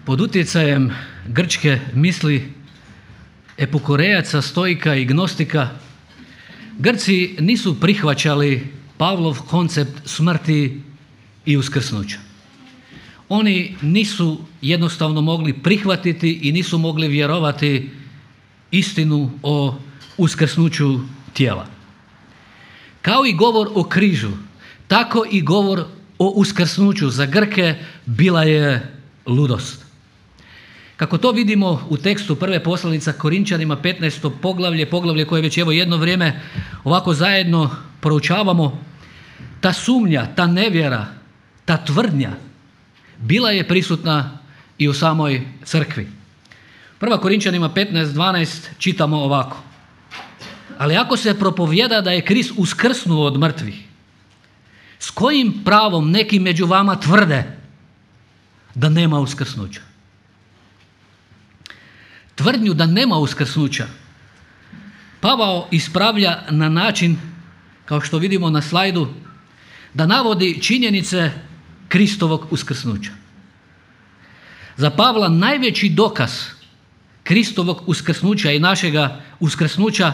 Pod utjecajem grčke misli epukurejaca, stoika i gnostika, Grci nisu prihvaćali Pavlov koncept smrti i uskrsnuća. Oni nisu jednostavno mogli prihvatiti i nisu mogli vjerovati istinu o uskrsnuću tijela. Kao i govor o križu, tako i govor o uskrsnuću za Grke bila je ludost. Kako to vidimo u tekstu prve poslanice Korinčanima 15. poglavlje koje već evo jedno vrijeme ovako zajedno proučavamo, ta sumnja, ta nevjera, ta tvrdnja bila je prisutna i u samoj crkvi. Prva Korinčanima 15.12 čitamo ovako: ali ako se propovijeda da je Krist uskrsnuo od mrtvih, s kojim pravom neki među vama tvrde da nema uskrsnuća? Tvrdnju da nema uskrsnuća Pavao ispravlja na način, kao što vidimo na slajdu, da navodi činjenice Kristovog uskrsnuća. Za Pavla najveći dokaz Kristovog uskrsnuća i našega uskrsnuća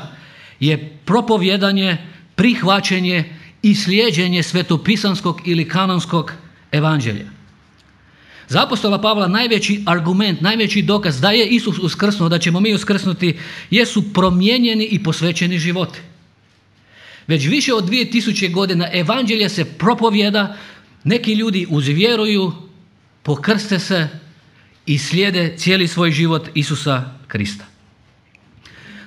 je propovjedanje, prihvaćanje i slijeđenje svetopisanskog ili kanonskog evanđelja. Za apostola Pavla najveći argument, najveći dokaz da je Isus uskrsnuo, da ćemo mi uskrsnuti, jesu promijenjeni i posvećeni životi. Već više od 2000 godina evanđelje se propovjeda, neki ljudi uzvjeruju, pokrste se i slijede cijeli svoj život Isusa Krista.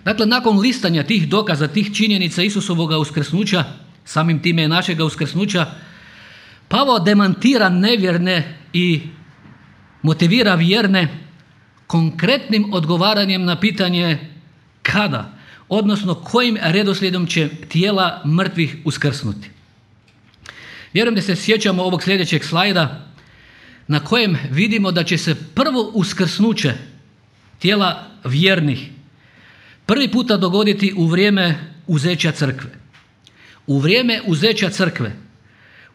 Dakle, nakon listanja tih dokaza, tih činjenica Isusovoga uskrsnuća, samim time i našega uskrsnuća, Pavao demantira nevjerne i motivira vjerne konkretnim odgovaranjem na pitanje kada, odnosno kojim redoslijedom će tijela mrtvih uskrsnuti. Vjerujem da se sjećamo ovog sljedećeg slajda na kojem vidimo da će se prvo uskrsnuće tijela vjernih prvi puta dogoditi u vrijeme uzeća crkve. U vrijeme uzeća crkve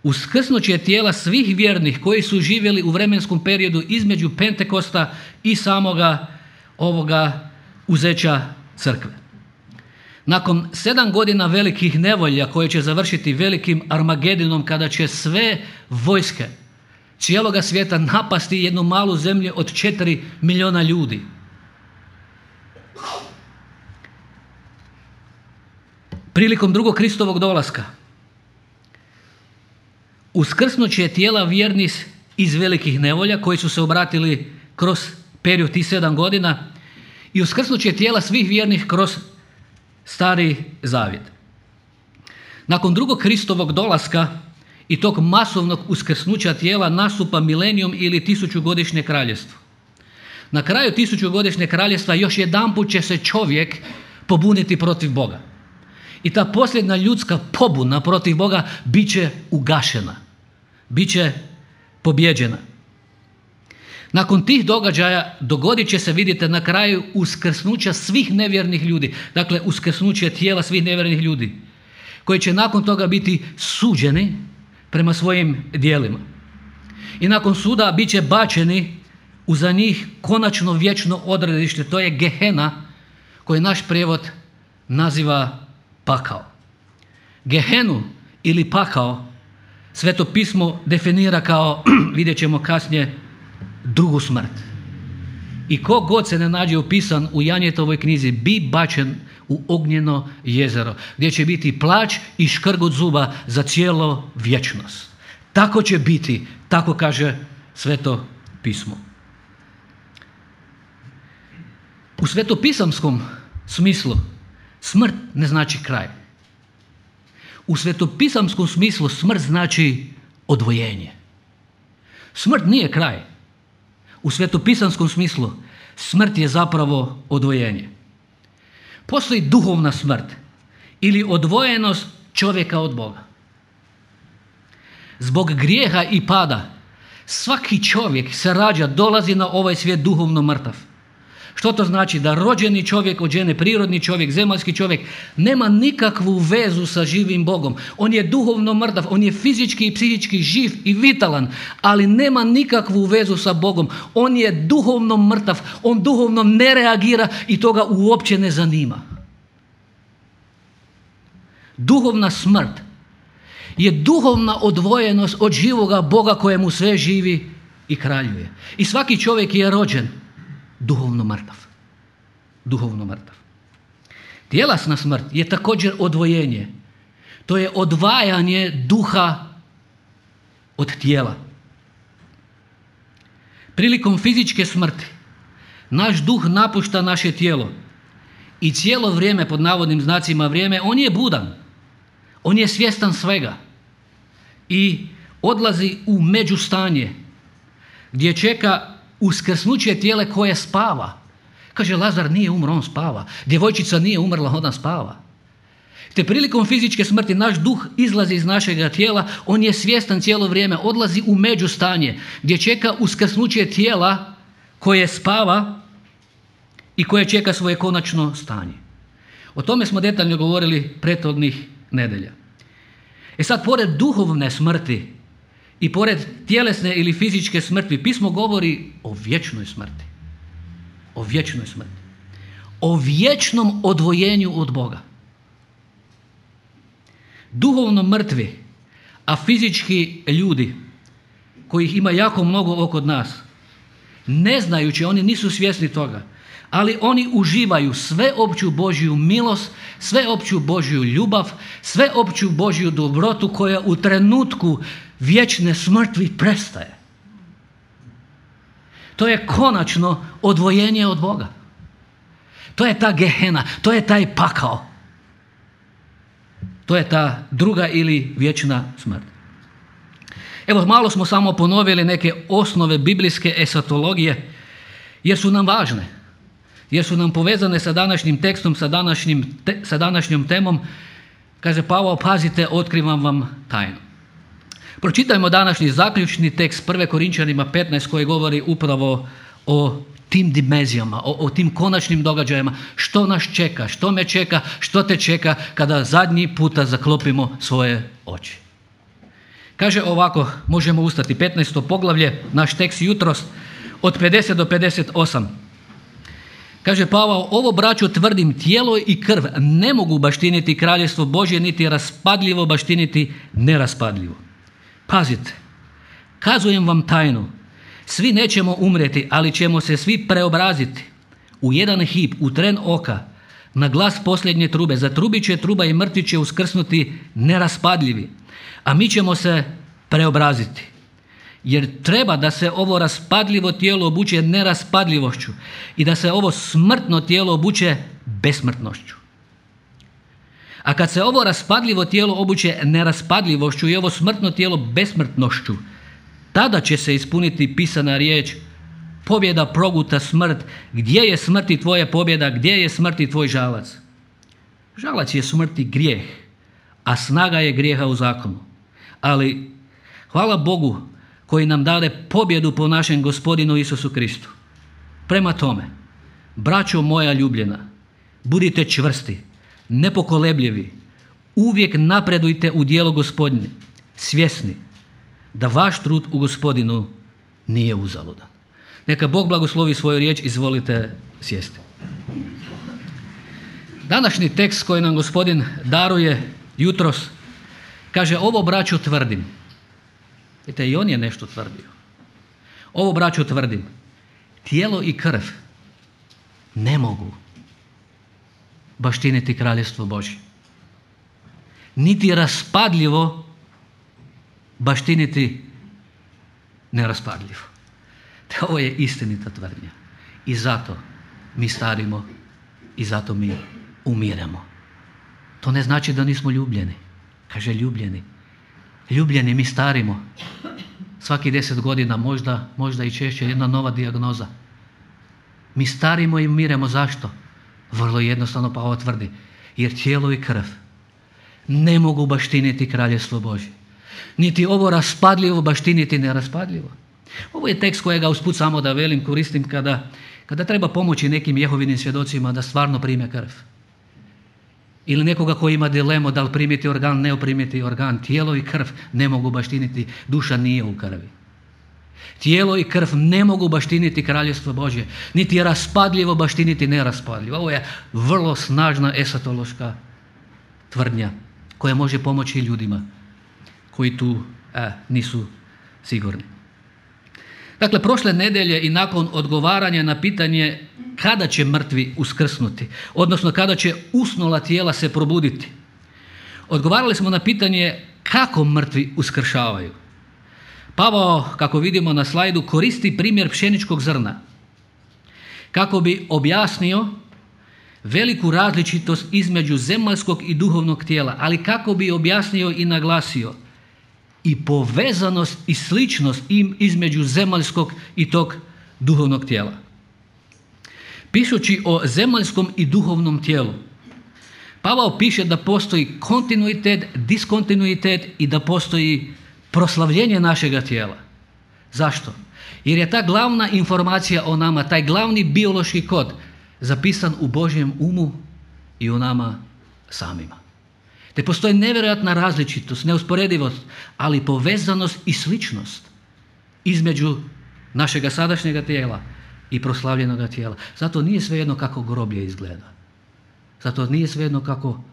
uskrsnuće tijela svih vjernih koji su živjeli u vremenskom periodu između Pentekosta i samoga ovoga uzeća crkve. Nakon 7 godina velikih nevolja koje će završiti velikim Armagedinom, kada će sve vojske cijeloga svijeta napasti jednu malu zemlju od 4 milijuna ljudi, prilikom drugog Kristovog dolaska uskrsnuće tijela vjernih iz velikih nevolja koji su se obratili kroz period tih 7 godina i uskrsnuće tijela svih vjernih kroz Stari zavjet. Nakon drugog Kristovog dolaska i tog masovnog uskrsnuća tijela nastupa milenijum ili 1000-godišnje kraljevstvo. Na kraju 1000-godišnje kraljevstva još jedanput će se čovjek pobuniti protiv Boga. I ta posljedna ljudska pobuna protiv Boga bit će ugašena, bit će pobjeđena. Nakon tih događaja dogodit će se, vidite, na kraju uskrsnuća svih nevjernih ljudi, dakle uskrsnuće tijela svih nevjernih ljudi, koji će nakon toga biti suđeni prema svojim djelima. I nakon suda bit će bačeni u za njih konačno vječno odredište, to je Gehena, koji naš prijevod naziva pakao. Gehenu ili pakao Sveto pismo definira kao, vidjet ćemo kasnije, drugu smrt. I ko god se ne nađe upisan u Janjetovoj knjizi bi bačen u ognjeno jezero, gdje će biti plač i škrgut zuba za cijelo vječnost. Tako će biti, tako kaže Sveto pismo. U svetopisamskom smislu smrt ne znači kraj. U svetopisamskom smislu smrt znači odvojenje. Smrt nije kraj. U svetopisanskom smislu smrt je zapravo odvojenje. Postoji duhovna smrt ili odvojenost čovjeka od Boga. Zbog grijeha i pada svaki čovjek se rađa, dolazi na ovaj svijet duhovno mrtav. Što to znači? Da rođeni čovjek od žene, prirodni čovjek, zemaljski čovjek, nema nikakvu vezu sa živim Bogom. On je duhovno mrtav, on je fizički i psihički živ i vitalan, ali nema nikakvu vezu sa Bogom. On je duhovno mrtav, on duhovno ne reagira i to ga uopće ne zanima. Duhovna smrt je duhovna odvojenost od živoga Boga kojemu sve živi i kraljuje. I svaki čovjek je rođen duhovno mrtav. Duhovno mrtav. Tjelesna smrt je također odvojenje. To je odvajanje duha od tijela. Prilikom fizičke smrti naš duh napušta naše tijelo i cijelo vrijeme, pod navodnim znacima vrijeme, on je budan. On je svjestan svega i odlazi u međustanje gdje čeka uskrsnuće tijela koje spava. Kaže, Lazar nije umro, on spava. Djevojčica nije umrla, ona spava. Te prilikom fizičke smrti naš duh izlazi iz našega tijela, on je svjestan cijelo vrijeme, odlazi u međustanje gdje čeka uskrsnuće tijela koje spava i koje čeka svoje konačno stanje. O tome smo detaljno govorili prethodnih nedelja. Sad, pored duhovne smrti i pored tjelesne ili fizičke smrti, pismo govori o vječnoj smrti. O vječnoj smrti. O vječnom odvojenju od Boga. Duhovno mrtvi, a fizički ljudi, kojih ima jako mnogo oko nas, ne znajući, oni nisu svjesni toga, ali oni uživaju sveopću Božju milost, sveopću Božju ljubav, sveopću Božju dobrotu koja u trenutku vječne smrti prestaje. To je konačno odvojenje od Boga. To je ta gehena, to je taj pakao. To je ta druga ili vječna smrt. Evo, malo smo samo ponovili neke osnove biblijske esatologije jer su nam važne. Jer su nam povezane sa današnjim tekstom, sa današnjom temom. Kaže Pavao, pazite, otkrivam vam tajnu. Pročitajmo današnji zaključni tekst 1. Korinčanima 15 koji govori upravo o tim dimenzijama, o tim konačnim događajima. Što nas čeka, što me čeka, što te čeka kada zadnji puta zaklopimo svoje oči. Kaže ovako, možemo ustati, 15. poglavlje, naš tekst jutros, od 50 do 58. Kaže Pavao, ovo braćo tvrdim, tijelo i krv ne mogu baštiniti kraljevstvo Božje, niti raspadljivo baštiniti neraspadljivo. Pazite, kazujem vam tajnu, svi nećemo umrijeti, ali ćemo se svi preobraziti. U jedan hip, u tren oka, na glas posljednje trube, zatrubit će truba i mrtvi će uskrsnuti neraspadljivi, a mi ćemo se preobraziti. Jer treba da se ovo raspadljivo tijelo obuče neraspadljivošću i da se ovo smrtno tijelo obuče besmrtnošću. A kad se ovo raspadljivo tijelo obuče neraspadljivošću i ovo smrtno tijelo besmrtnošću, tada će se ispuniti pisana riječ: pobjeda proguta smrt, gdje je smrti tvoja pobjeda, gdje je smrti tvoj žalac? Žalac je smrti grijeh, a snaga je grijeha u zakonu. Ali hvala Bogu koji nam dade pobjedu po našem Gospodinu Isusu Kristu. Prema tome, braćo moja ljubljena, budite čvrsti, nepokolebljivi, uvijek napredujte u djelo Gospodnje, svjesni da vaš trud u Gospodinu nije uzaludan. Neka Bog blagoslovi svoju riječ, izvolite sjesti. Današnji tekst koji nam Gospodin daruje jutros kaže: ovo braćo tvrdim. Vidite, i on je nešto tvrdio. Ovo braćo tvrdim, tijelo i krv ne mogu baštiniti kraljevstvo Božje. Niti raspadljivo baštiniti neraspadljivo. Te ovo je istinita tvrdnja. I zato mi starimo i zato mi umiremo. To ne znači da nismo ljubljeni. Kaže ljubljeni. Ljubljeni mi starimo. Svaki 10 godina, možda i češće, jedna nova dijagnoza. Mi starimo i umiremo. Zašto? Vrlo jednostavno Pavao tvrdi. Jer tijelo i krv ne mogu baštiniti kraljevstvo Božje. Niti ovo raspadljivo baštiniti neraspadljivo. Ovo je tekst kojega usput samo da velim koristim Kada treba pomoći nekim Jehovinim svjedocima da stvarno prime krv. Ili nekoga koji ima dilemu da li primiti organ, ne primiti organ. Tijelo i krv ne mogu baštiniti, duša nije u krvi. Tijelo i krv ne mogu baštiniti kraljevstvo Božje, niti je raspadljivo baštiniti neraspadljivo. Ovo je vrlo snažna esatološka tvrdnja koja može pomoći ljudima koji tu nisu sigurni. Dakle, prošle nedjelje i nakon odgovaranja na pitanje kada će mrtvi uskrsnuti, odnosno kada će usnula tijela se probuditi, odgovarali smo na pitanje kako mrtvi uskršavaju. Pavao, kako vidimo na slajdu, koristi primjer pšeničkog zrna kako bi objasnio veliku različitost između zemaljskog i duhovnog tijela, ali kako bi objasnio i naglasio i povezanost i sličnost između zemaljskog i tog duhovnog tijela. Pišući o zemaljskom i duhovnom tijelu, Pavao piše da postoji kontinuitet, diskontinuitet i da postoji proslavljenje našega tijela. Zašto? Jer je ta glavna informacija o nama, taj glavni biološki kod zapisan u Božjem umu i u nama samima. Te postoji nevjerojatna različitost, neusporedivost, ali povezanost i sličnost između našega sadašnjega tijela i proslavljenoga tijela. Zato nije svejedno kako groblje izgleda. Zato nije svejedno kako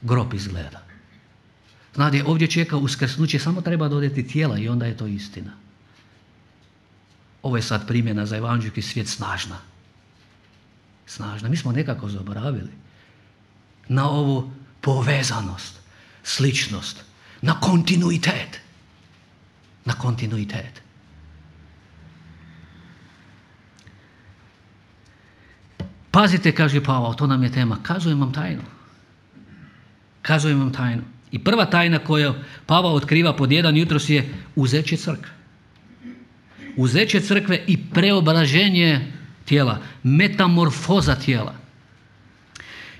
grob izgleda. Znate, ovdje čeka uskrsnuće, samo treba dodati tijela i onda je to istina. Ovo je sad primjena za evanđeljski svijet snažna. Snažna. Mi smo nekako zaboravili na ovu povezanost, sličnost, na kontinuitet. Na kontinuitet. Pazite, kaže Pavao, to nam je tema. Kazujem vam tajnu. Kazujem vam tajnu. I prva tajna koju Pavao otkriva pod jedan jutros je uzeće crkve. Uzeće crkve i preobraženje tijela, metamorfoza tijela.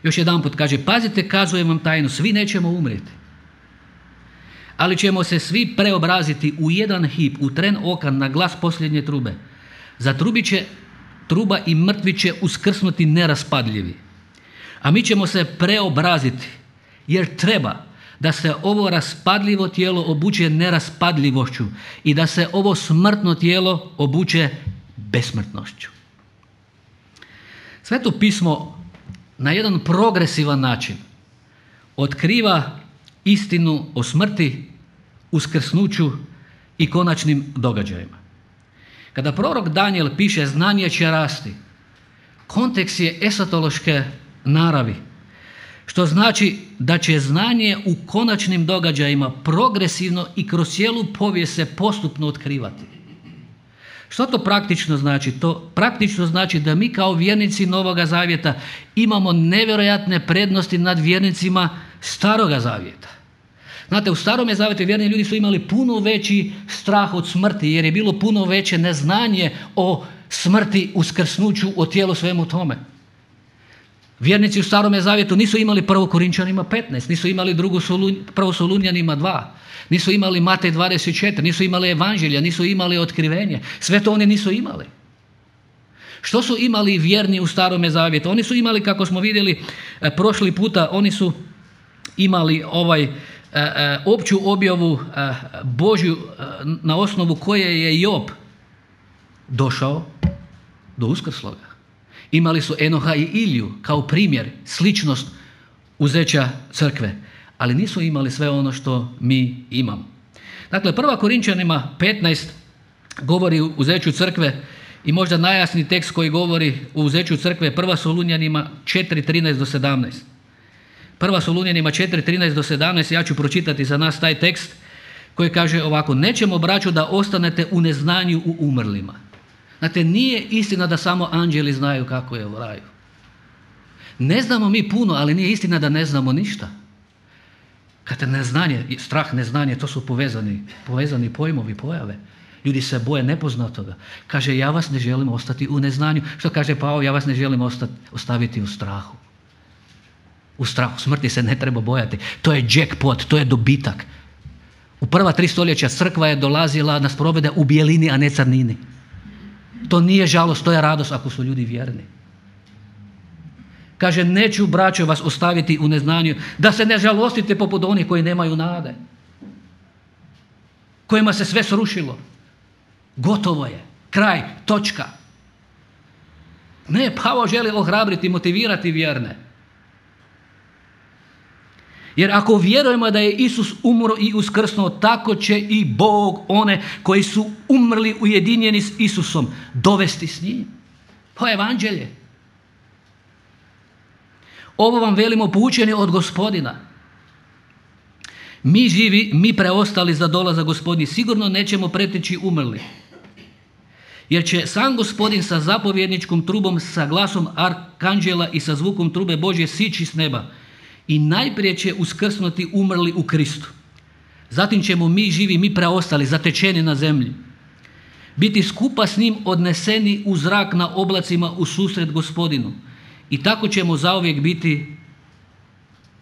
Još jedanput kaže, pazite, kazujem vam tajnu, svi nećemo umrijeti. Ali ćemo se svi preobraziti u jedan hip, u tren oka, na glas posljednje trube. Zatrubit će truba i mrtvi će uskrsnuti neraspadljivi. A mi ćemo se preobraziti, jer treba da se ovo raspadljivo tijelo obuče neraspadljivošću i da se ovo smrtno tijelo obuče besmrtnošću. Sveto pismo na jedan progresivan način otkriva istinu o smrti, uskrsnuću i konačnim događajima. Kada prorok Danijel piše znanje će rasti, kontekst je esatološke naravi, što znači da će znanje u konačnim događajima progresivno i kroz cijelu povijest se postupno otkrivati. Što to praktično znači? To praktično znači da mi kao vjernici Novoga Zavjeta imamo nevjerojatne prednosti nad vjernicima Staroga Zavjeta. Znate, u Starome Zavjetu vjerni ljudi su imali puno veći strah od smrti jer je bilo puno veće neznanje o smrti, uskrsnuću, o tijelu, svemu tome. Vjernici u Starome Zavjetu nisu imali 1. Korinčanima 15, nisu imali 1. Solunjanima 2, nisu imali Matej 24, nisu imali evanđelja, nisu imali otkrivenje. Sve to oni nisu imali. Što su imali vjerni u Starome Zavjetu? Oni su imali, kako smo vidjeli prošli puta, oni su imali opću objavu Božju na osnovu koje je Job došao do uskrsloga. Imali su Enoha i Iliju kao primjer, sličnost uzeća crkve, ali nisu imali sve ono što mi imamo. Dakle, 1. Korinčanima 15 govori o uzeću crkve i možda najjasniji tekst koji govori o uzeću crkve je 1. Solunjanima 4.13 do 17. 1. Solunjanima 4.13 do 17, ja ću pročitati za nas taj tekst koji kaže ovako: nećemo, braćo, da ostanete u neznanju u umrlima. Znate, nije istina da samo anđeli znaju kako je u raju. Ne znamo mi puno, ali nije istina da ne znamo ništa. Kad neznanje, strah, neznanje, to su povezani pojmovi, pojave. Ljudi se boje nepoznatoga. Kaže, ja vas ne želim ostati u neznanju. Što kaže Pavao? Ja vas ne želim ostaviti u strahu. U strahu smrti se ne treba bojati. To je jackpot, to je dobitak. U prva 3 stoljeća crkva je dolazila na sprovede u bijelini, a ne crnini. To nije žalost, to je radost ako su ljudi vjerni. Kaže, neću braćo vas ostaviti u neznanju, da se ne žalostite poput onih koji nemaju nade, kojima se sve srušilo. Gotovo je, kraj, točka. Ne, Pavao želi ohrabriti, motivirati vjerne. Jer ako vjerujemo da je Isus umro i uskrsnuo, tako će i Bog one koji su umrli ujedinjeni s Isusom dovesti s njim. Po evanđelje. Ovo vam velimo poučeni od Gospodina. Mi živi, mi preostali za dolazak Gospodnji, sigurno nećemo preteći umrli. Jer će sam Gospodin sa zapovjedničkom trubom, sa glasom arkanđela i sa zvukom trube Božje sići s neba. I najprije će uskrsnuti umrli u Kristu. Zatim ćemo mi živi, mi preostali, zatečeni na zemlji, biti skupa s njim odneseni u zrak na oblacima u susret Gospodinu. I tako ćemo zauvijek biti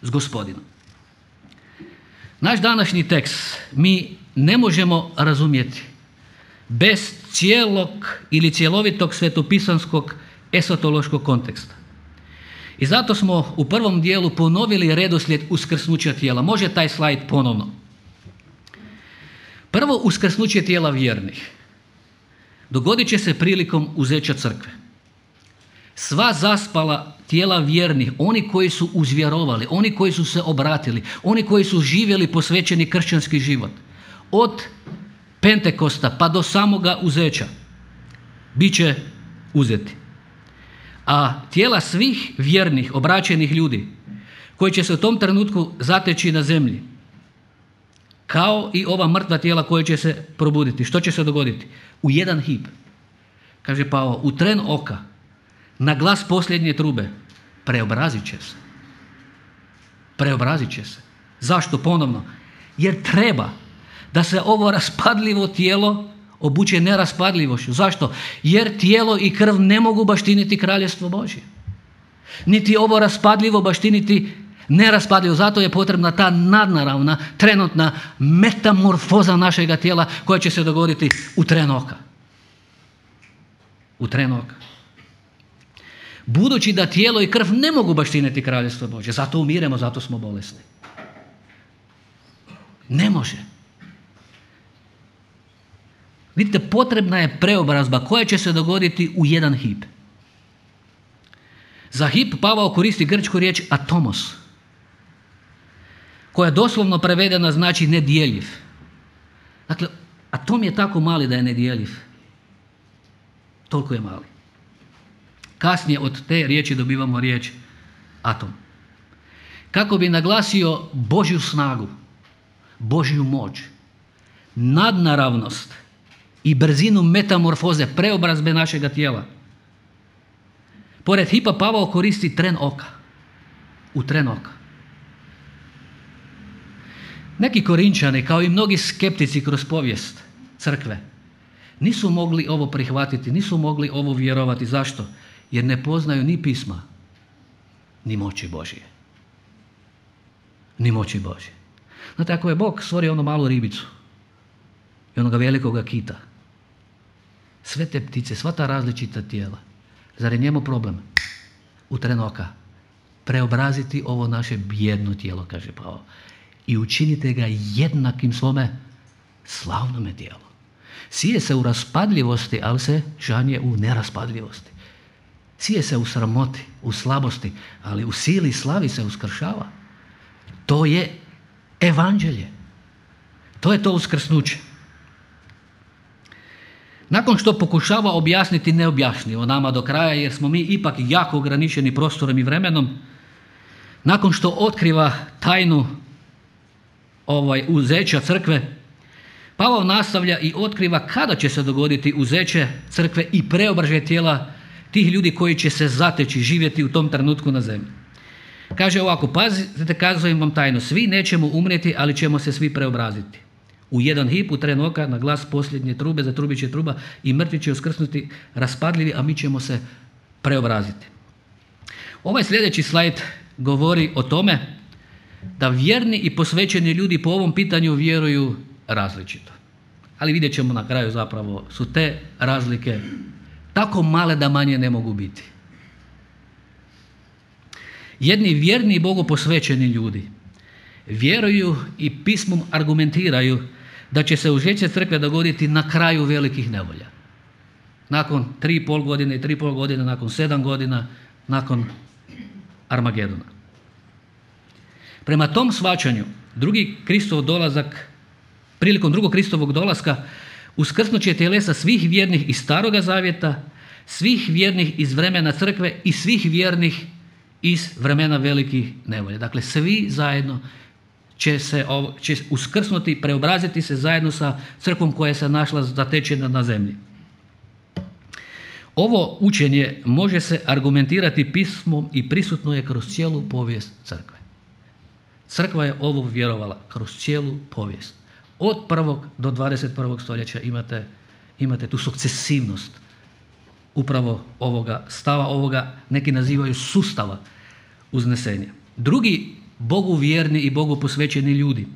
s Gospodinom. Naš današnji tekst mi ne možemo razumjeti bez cijelog ili cjelovitog svetopisanskog esotološkog konteksta. I zato smo u prvom dijelu ponovili redoslijed uskrsnuća tijela. Može taj slajd ponovno. Prvo uskrsnuće tijela vjernih dogodit će se prilikom uzeća crkve. Sva zaspala tijela vjernih, oni koji su uzvjerovali, oni koji su se obratili, oni koji su živjeli posvećeni kršćanski život, od Pentekosta pa do samoga uzeća, bit će uzeti. A tijela svih vjernih, obraćenih ljudi, koji će se u tom trenutku zateći na zemlji, kao i ova mrtva tijela koja će se probuditi. Što će se dogoditi? U jedan hip. Kaže Pavao, u tren oka, na glas posljednje trube, preobrazit će se. Preobrazit će se. Zašto ponovno? Jer treba da se ovo raspadljivo tijelo obuče neraspadljivošću. Zašto? Jer tijelo i krv ne mogu baštiniti kraljevstvo Božje. Niti ovo raspadljivo baštiniti neraspadljivo. Zato je potrebna ta nadnaravna, trenutna metamorfoza našega tijela koja će se dogoditi u tren oka. U tren oka. Budući da tijelo i krv ne mogu baštiniti kraljevstvo Božje, zato umiremo, zato smo bolesni. Ne može. Vidite, potrebna je preobrazba koja će se dogoditi u jedan hip. Za hip Pavao koristi grčku riječ atomos, koja doslovno prevedena znači nedjeljiv. Dakle, atom je tako mali da je nedjeljiv. Toliko je mali. Kasnije od te riječi dobivamo riječ atom. Kako bi naglasio Božju snagu, Božju moć, nadnaravnost i brzinu metamorfoze, preobrazbe našega tijela. Pored hipa Pavao koristi tren oka. U tren oka. Neki Korinčani, kao i mnogi skeptici kroz povijest crkve, nisu mogli ovo prihvatiti, nisu mogli ovo vjerovati. Zašto? Jer ne poznaju ni pisma, ni moći Božje. Ni moći Božje. Znate, ako je Bog stvorio onu malu ribicu i onoga velikoga kita, sve te ptice, sva ta različita tijela, zar je njemu problem u tren oka preobraziti ovo naše bijedno tijelo, kaže Pavao, i učinite ga jednakim svome slavnome tijelu. Sije se u raspadljivosti, ali se žanje u neraspadljivosti. Sije se u sramoti, u slabosti, ali u sili i slavi se uskršava. To je evanđelje. To je to uskrsnuće. Nakon što pokušava objasniti neobjašnjivo nama do kraja, jer smo mi ipak jako ograničeni prostorom i vremenom, nakon što otkriva tajnu uzeća crkve, Pavao nastavlja i otkriva kada će se dogoditi uzeće crkve i preobražaj tijela tih ljudi koji će se zateći, živjeti u tom trenutku na zemlji. Kaže ovako, pazite, kazujem vam tajno, svi nećemo umrijeti, ali ćemo se svi preobraziti. U jedan hip, u tren oka, na glas posljednje trube, zatrubit će truba i mrtvi će uskrsnuti raspadljivi, a mi ćemo se preobraziti. Ovaj sljedeći slajd govori o tome da vjerni i posvećeni ljudi po ovom pitanju vjeruju različito. Ali vidjet ćemo na kraju zapravo su te razlike tako male da manje ne mogu biti. Jedni vjerni i Bogu posvećeni ljudi vjeruju i pismom argumentiraju da će se uzeti crkve dogoditi na kraju velikih nevolja. Nakon 3,5 godine i 3,5 godine, nakon 7 godina, nakon Armagedona. Prema tom shvaćanju, prilikom drugog Kristovog dolaska, uskrsnut će tjelesa svih vjernih iz Staroga zavjeta, svih vjernih iz vremena crkve i svih vjernih iz vremena velikih nevolja. Dakle, svi zajedno će uskrsnuti, preobraziti se zajedno sa crkvom koja se našla zatečena na zemlji. Ovo učenje može se argumentirati pismom i prisutno je kroz cijelu povijest crkve. Crkva je ovo vjerovala kroz cijelu povijest. Od 1. do 21. stoljeća imate tu sukcesivnost upravo ovoga stava, ovoga neki nazivaju sustava uznesenja. Drugi Bogu vjerni i Bogu posvećeni ljudi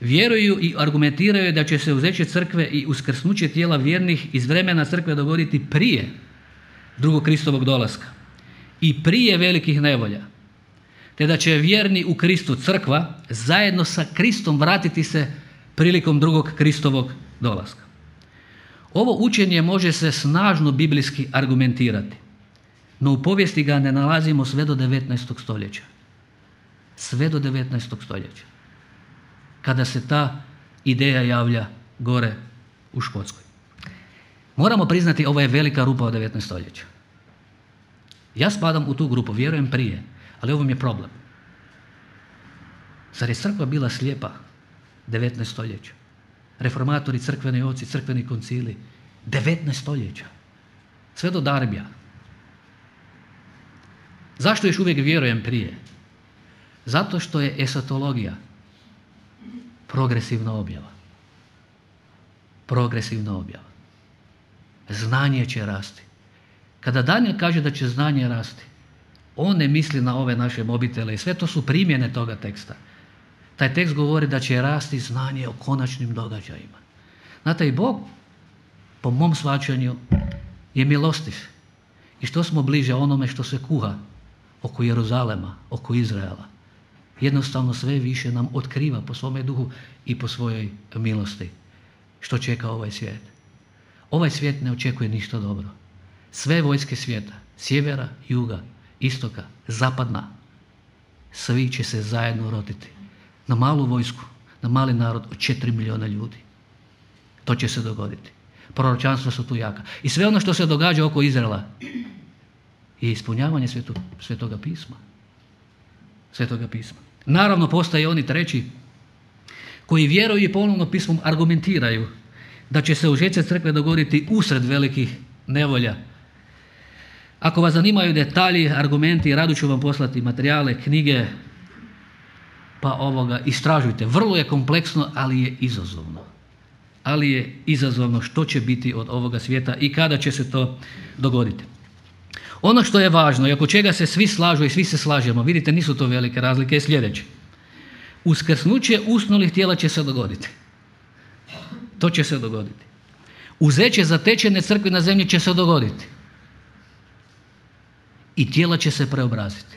vjeruju i argumentiraju da će se uzeće crkve i uskrsnuće tijela vjernih iz vremena crkve dogoditi prije drugog Kristovog dolaska i prije velikih nevolja, te da će vjerni u Kristu crkva zajedno sa Kristom vratiti se prilikom drugog Kristovog dolaska. Ovo učenje može se snažno biblijski argumentirati, no u povijesti ga ne nalazimo sve do 19. stoljeća. Sve do 19. stoljeća. Kada se ta ideja javlja gore u Škotskoj. Moramo priznati, ovo je velika rupa od 19. stoljeća. Ja spadam u tu grupu, vjerujem prije, ali ovo mi je problem. Zar je crkva bila slijepa 19. stoljeća? Reformatori, crkveni oci, crkveni koncili, 19. stoljeća. Sve do Darbija. Zašto još uvijek vjerujem prije? Zato što je esatologija progresivna objava. Progresivna objava. Znanje će rasti. Kada Daniel kaže da će znanje rasti, on ne misli na ove naše mobitele i sve to su primjene toga teksta. Taj tekst govori da će rasti znanje o konačnim događajima. Znate, i Bog, po mom shvaćanju, je milostiv. I što smo bliže onome što se kuha oko Jeruzalema, oko Izraela, jednostavno sve više nam otkriva po svome duhu i po svojoj milosti što čeka ovaj svijet. Ovaj svijet ne očekuje ništa dobro. Sve vojske svijeta, sjevera, juga, istoka, zapadna, svi će se zajedno rotiti na malu vojsku, na mali narod od 4 milijuna ljudi. To će se dogoditi. Proročanstva su tu jaka. I sve ono što se događa oko Izraela je ispunjavanje Svetoga pisma. Svetoga pisma. Naravno, postoje oni treći koji vjeruju i ponovno pismom argumentiraju da će se užetce crkve dogoditi usred velikih nevolja. Ako vas zanimaju detalji, argumenti, rado ću vam poslati materijale, knjige, pa istražujte. Vrlo je kompleksno, ali je izazovno. Ali je izazovno što će biti od ovoga svijeta i kada će se to dogoditi. Ono što je važno i oko čega se svi slažu i svi se slažemo, vidite, nisu to velike razlike, je sljedeće. Uskrsnuće usnulih tijela će se dogoditi. To će se dogoditi. Uzeće zatečene crkve na zemlji će se dogoditi. I tijela će se preobraziti.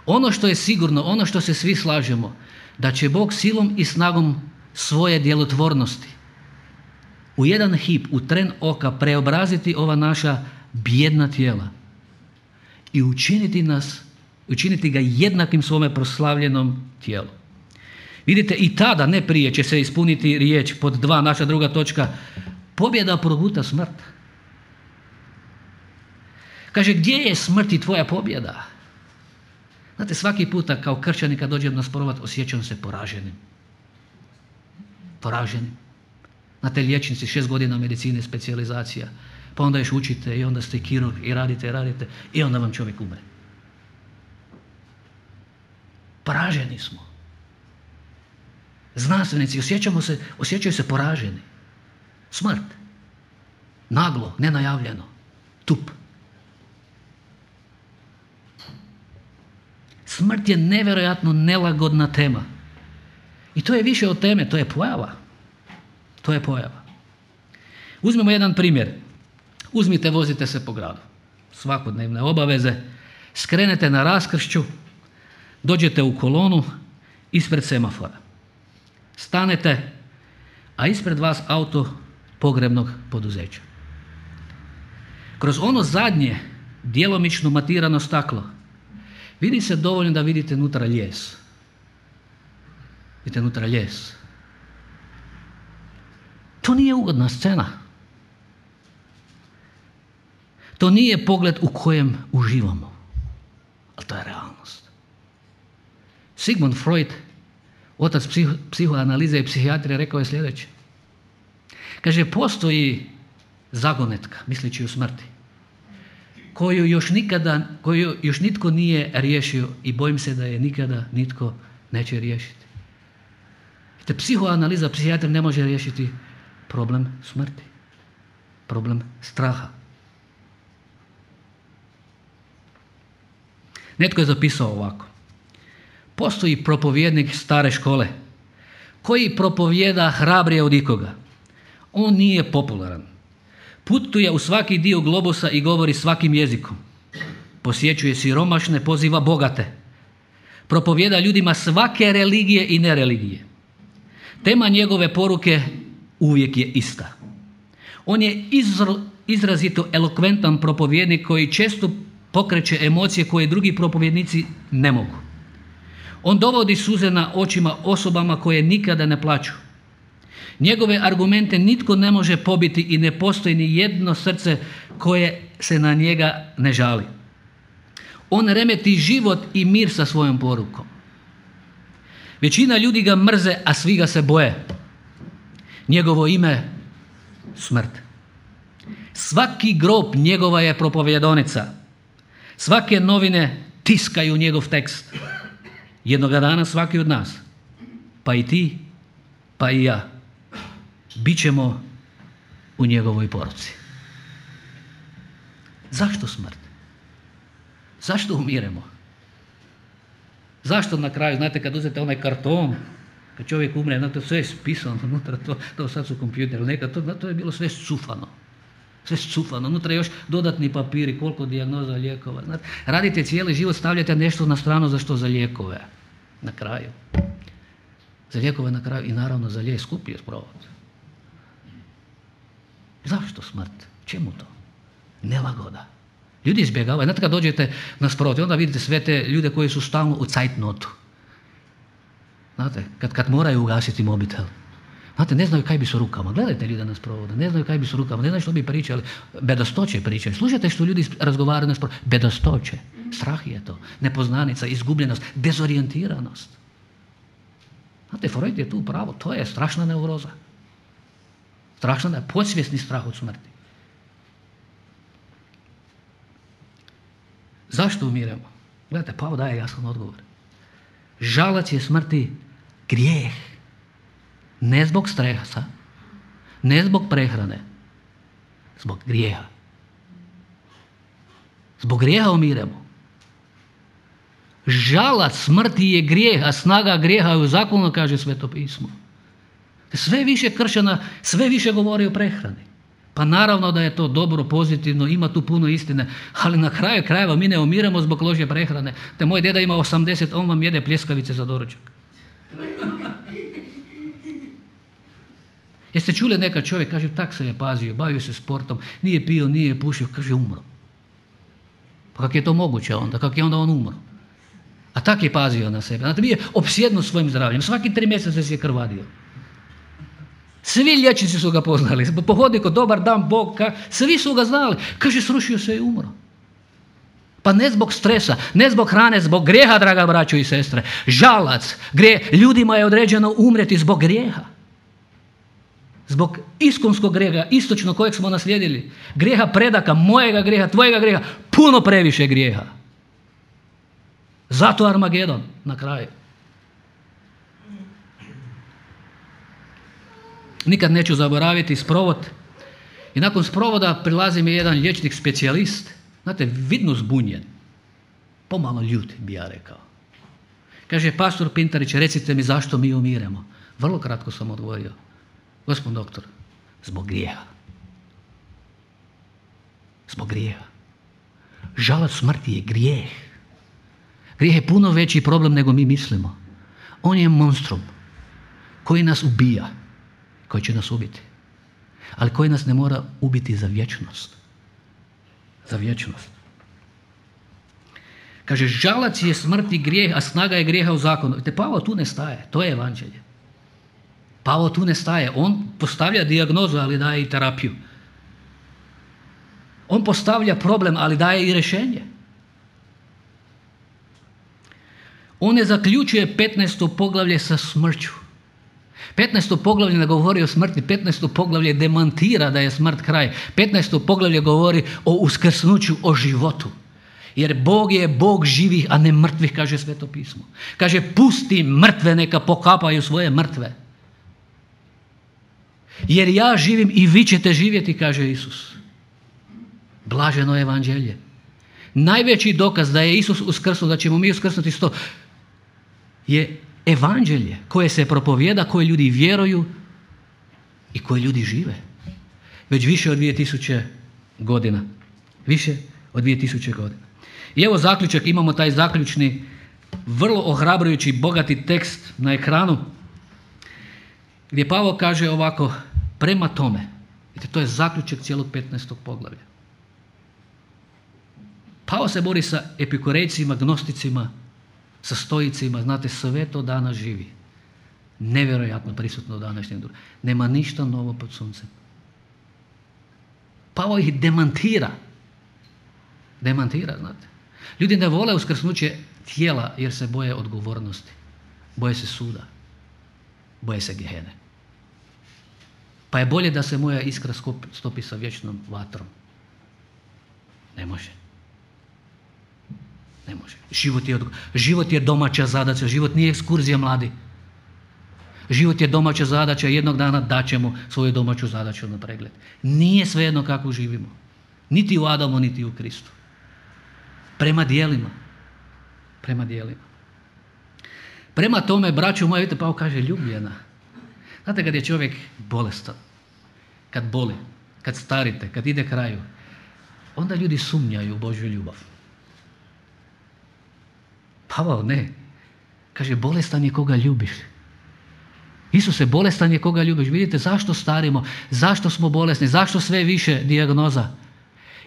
Ono što je sigurno, ono što se svi slažemo, da će Bog silom i snagom svoje djelotvornosti u jedan hip, u tren oka preobraziti ova naša bijedna tijela i učiniti ga jednakim svome proslavljenom tijelu. Vidite, i tada, ne prije, će se ispuniti riječ pod 2, naša druga točka, pobjeda proguta smrt. Kaže, gdje je smrt i tvoja pobjeda? Znate, svaki puta kao kršćani kad dođem na sprovat osjećam se poraženim. Poraženim. Znate, liječnici, 6 godina medicine, specijalizacija, pa onda još učite i onda ste kirurg i radite i onda vam čovjek umre. Poraženi smo. Znanstvenici osjećaju se poraženi. Smrt. Naglo, nenajavljeno. Tup. Smrt je nevjerojatno nelagodna tema. I to je više od teme, to je pojava. To je pojava. Uzmemo jedan primjer. Uzmite, vozite se po gradu. Svakodnevne obaveze. Skrenete na raskršću, dođete u kolonu ispred semafora. Stanete, a ispred vas auto pogrebnog poduzeća. Kroz ono zadnje, djelomično matirano staklo, vidi se dovoljno da vidite nutra lijes. Vidite nutra lijes. To nije ugodna scena. To nije pogled u kojem uživamo. Ali to je realnost. Sigmund Freud, otac psihoanalize i psihijatrije, rekao je sljedeće. Kaže, postoji zagonetka, misleći o smrti, koju još nitko nije riješio i bojim se da je nikada nitko neće riješiti. Te psihoanaliza, psihijatrija ne može riješiti problem smrti, problem straha. Netko je zapisao ovako. Postoji propovjednik stare škole koji propovjeda hrabrije od ikoga. On nije popularan. Putuje u svaki dio globusa i govori svakim jezikom. Posjećuje siromašne, poziva bogate. Propovjeda ljudima svake religije i nereligije. Tema njegove poruke uvijek je ista. On je izrazito elokventan propovjednik koji često pokreće emocije koje drugi propovjednici ne mogu. On dovodi suze na očima osobama koje nikada ne plaču. Njegove argumente nitko ne može pobiti i ne postoji ni jedno srce koje se na njega ne žali. On remeti život i mir sa svojom porukom. Većina ljudi ga mrze, a svi ga se boje. Njegovo ime smrt. Svaki grob njegova je propovjedonica. Svake novine tiskaju njegov tekst. Jednoga dana svaki od nas, pa i ti, pa i ja, bit ćemo u njegovoj poruci. Zašto smrt? Zašto umiremo? Zašto na kraju, znate, kad uzete onaj karton, kad čovjek umre, znate, sve je spisano unutra, to sad su kompjuteri, nekad to je bilo sve scufano. Sve scufano, unutra još dodatni papiri, koliko dijagnoza, lijekova. Znate, radite cijeli život, stavljate nešto na stranu, za što? Za lijekove. Na kraju. Za lijekove na kraju i naravno za lijek skuplji je sprovod. Zašto smrt? Čemu to? Nelagoda. Ljudi izbjegavaju. Znate, kad dođete na sprovod, onda vidite sve te ljude koji su stalno u cajtnotu. Znate, kad moraju ugasiti mobitel. Znate, ne znaju kaj bi su rukama. Gledajte ljude na sprovodu, ne znaju kaj bi su rukama, ne znaju što bi pričali. Bedastoće pričaju. Slušajte što ljudi razgovaraju na sprovodu. Bedastoće. Strah je to. Nepoznanica, izgubljenost, dezorijentiranost. Znate, Freud je tu pravo. To je strašna neuroza. Strašna je podsvjesni strah od smrti. Zašto umiremo? Gledajte, Pavao daje jasan odgovor. Žalac je smrti grijeh. Ne zbog stresa, ne zbog prehrane, zbog grijeha. Zbog grijeha umiremo. Žalac smrti je grijeh, a snaga grijeha je u zakonu, kaže Sveto pismo. Sve više kršćana, sve više govori o prehrani. Pa naravno da je to dobro, pozitivno, ima tu puno istine, ali na kraju krajeva mi ne umiremo zbog loše prehrane. Te moj deda ima 80, on vam jede pljeskavice za doručak. Jeste čuli neka čovjek, kaže, tak se je pazio, bavio se sportom, nije pio, nije pušio, kaže, umro. Pa kako je to moguće onda? Kako je onda on umro? A tak je pazio na sebe. Znate, bio je opsjednut svojim zdravljem. Svaki 3 mjeseca se je krvadio. Svi liječnici su ga poznali. Po hodniku, dobar dan, Bog, svi su ga znali. Kaže, srušio se i umro. Pa ne zbog stresa, ne zbog hrane, zbog grijeha, draga braćo i sestre. Žalac, grijeh. Ljudima je određeno umreti zbog grijeha. Zbog iskonskog grijeha, istočno kojeg smo naslijedili. Grijeha predaka, mojega grijeha, tvojega grijeha, puno previše grijeha. Zato Armagedon na kraju. Nikad neću zaboraviti sprovod. I nakon sprovoda prilazi mi jedan liječnik specijalist. Znate, vidno zbunjen. Pomalo ljut, bi ja rekao. Kaže, pastor Pintarić, recite mi zašto mi umiremo. Vrlo kratko sam odgovorio. Gospod doktor, zbog grijeha. Zbog grijeha. Žalac smrti je grijeh. Grijeh je puno veći problem nego mi mislimo. On je monstrum koji nas ubija, koji će nas ubiti. Ali koji nas ne mora ubiti za vječnost. Za vječnost. Kaže, žalac je smrti grijeh, a snaga je grijeha u zakonu. Vidite, Pavao tu ne staje. To je evanđelje. Pavao tu ne staje. On postavlja dijagnozu, ali daje i terapiju. On postavlja problem, ali daje i rješenje. On ne zaključuje 15. poglavlje sa smrću. 15. poglavlje ne govori o smrti, 15. poglavlje demantira da je smrt kraj. 15. poglavlje govori o uskrsnuću, o životu. Jer Bog je Bog živih, a ne mrtvih, kaže Sveto pismo. Kaže, pusti mrtve, neka pokapaju svoje mrtve. Jer ja živim i vi ćete živjeti, kaže Isus. Blaženo evanđelje. Najveći dokaz da je Isus uskrsnuo, da ćemo mi uskrsnuti sto, je evanđelje koje se propovijeda, koje ljudi vjeruju i koje ljudi žive. Već više od 2000 godina. Više od 2000 godina. I evo zaključak, imamo taj zaključni, vrlo ohrabrujući, bogati tekst na ekranu, gdje Pavao kaže ovako, prema tome, vidite, to je zaključak cijelog 15. poglavlja. Pavao se bori sa epikurejcima, gnosticima, sa stoicima, znate, sve to danas živi. Nevjerojatno prisutno u današnjem društvu. Nema ništa novo pod suncem. Pavao ih demantira. Demantira, znate. Ljudi ne vole uskrsnuće tijela jer se boje odgovornosti. Boje se suda. Boje se gehene. Pa je bolje da se moja iskra stopi sa vječnom vatrom. Ne može. Ne može. Život je domaća zadaća. Život nije ekskurzija, mladi. Život je domaća zadaća. Jednog dana daćemo svoju domaću zadaću na pregled. Nije svejedno kako živimo. Niti u Adamu, niti u Kristu. Prema dijelima. Prema dijelima. Prema tome, braćo moje, vidite, Pavao kaže ljubljena. Znate, kad je čovjek bolestan, kad boli, kad starite, kad ide kraju, onda ljudi sumnjaju u Božju ljubav. Pavao ne. Kaže, bolestan je koga ljubiš. Isuse, bolestan je koga ljubiš. Vidite zašto starimo, zašto smo bolesni, zašto sve više dijagnoza.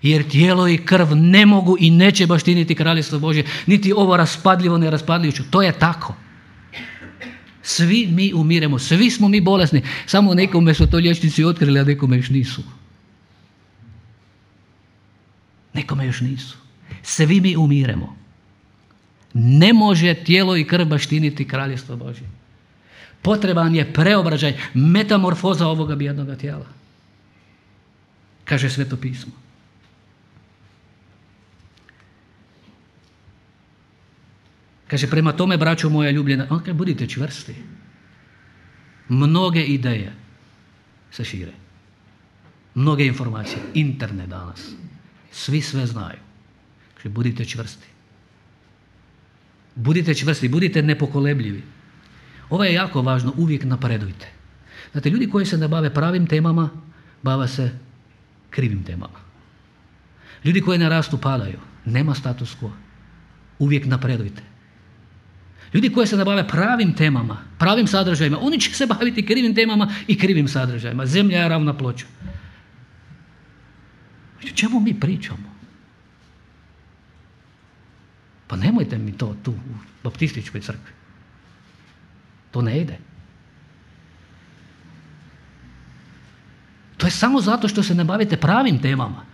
Jer tijelo i krv ne mogu i neće baštiniti kraljestvo Božje, niti ovo raspadljivo, neraspadljivo. To je tako. Svi mi umiremo, svi smo mi bolesni. Samo nekome su to liječnici otkrili, a nekome još nisu. Nekome još nisu. Svi mi umiremo. Ne može tijelo i krv baštiniti kraljestvo Božje. Potreban je preobražaj, metamorfoza ovoga bijednoga tijela. Kaže Sveto pismo. Kaže, prema tome, braćo moja ljubljena, on kaže, budite čvrsti. Mnoge ideje se šire. Mnoge informacije. Internet danas. Svi sve znaju. Kaže, budite čvrsti. Budite čvrsti, budite nepokolebljivi. Ovo je jako važno, uvijek napredujte. Znate, ljudi koji se ne bave pravim temama, bave se krivim temama. Ljudi koji ne rastu padaju. Nema status quo. Uvijek napredujte. Ljudi koji se ne bave pravim temama, pravim sadržajima, oni će se baviti krivim temama i krivim sadržajima. Zemlja je ravna ploča. O čemu mi pričamo? Pa nemojte mi to tu u baptističkoj crkvi. To ne ide. To je samo zato što se ne bavite pravim temama.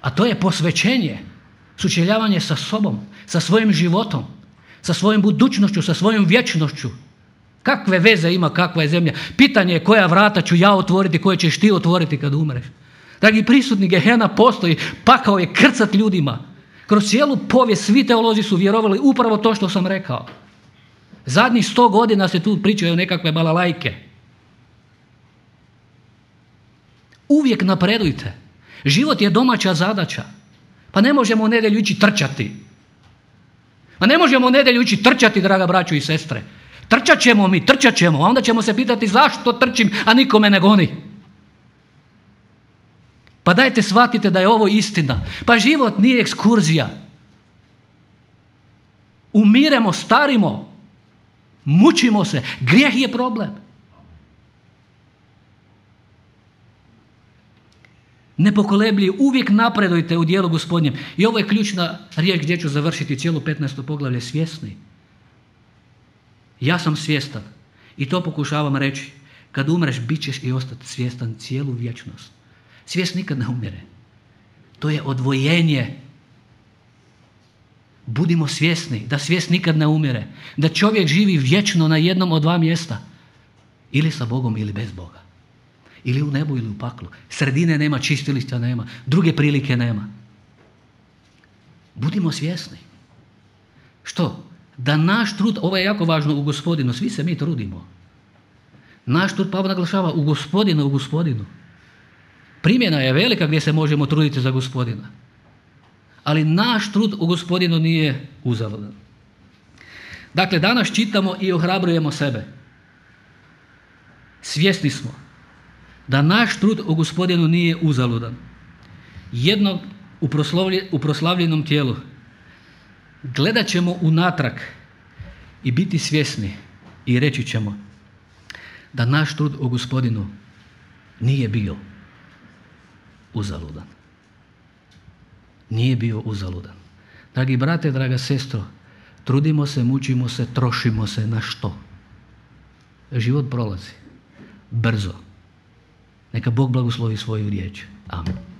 A to je posvećenje, sučeljavanje sa sobom, sa svojim životom, sa svojom budućnošću, sa svojom vječnošću. Kakve veze ima kakva je zemlja? Pitanje je koja vrata ću ja otvoriti, koje ćeš ti otvoriti kad umreš. Dragi prisutni, gehena postoji, pakao je krcat ljudima. Kroz cijelu povijest svi teolozi su vjerovali upravo to što sam rekao. Zadnjih 100 godina se tu pričaju o nekakve balalajke. Uvijek napredujte. Život je domaća zadaća. Pa ne možemo u nedjelju ići trčati. Pa ne možemo u nedjelju ići trčati, draga braćo i sestre. Trčat ćemo, a onda ćemo se pitati zašto trčim, a niko me ne goni. Pa dajte shvatite da je ovo istina. Pa život nije ekskurzija. Umiremo, starimo, mučimo se. Grijeh je problem. Nepokolebljivi, uvijek napredujte u dijelu Gospodnjem. I ovo je ključna riječ gdje ću završiti cijelo 15. poglavlje, svjesni. Ja sam svjestan i to pokušavam reći. Kad umreš, bit ćeš i ostati svjestan cijelu vječnost. Svijest nikad ne umire. To je odvojenje. Budimo svjesni da svijest nikad ne umire. Da čovjek živi vječno na jednom od dva mjesta. Ili sa Bogom ili bez Boga. Ili u nebu ili u paklu. Sredine nema, čistilišta nema. Druge prilike nema. Budimo svjesni. Što? Da naš trud, ovo je jako važno u Gospodinu, svi se mi trudimo. Naš trud, Pavao naglašava, u Gospodinu. Primjena je velika gdje se možemo truditi za Gospodina. Ali naš trud u Gospodinu nije uzaludan. Dakle, danas čitamo i ohrabrujemo sebe. Svjesni smo da naš trud u Gospodinu nije uzaludan. Jednog u proslavljenom tijelu gledat ćemo unatrag i biti svjesni i reći ćemo da naš trud u Gospodinu nije bio uzaludan. Nije bio uzaludan. Dragi brate, draga sestro, trudimo se, mučimo se, trošimo se na što? Život prolazi brzo. Neka Bog blagoslovi svoju riječ. Amen.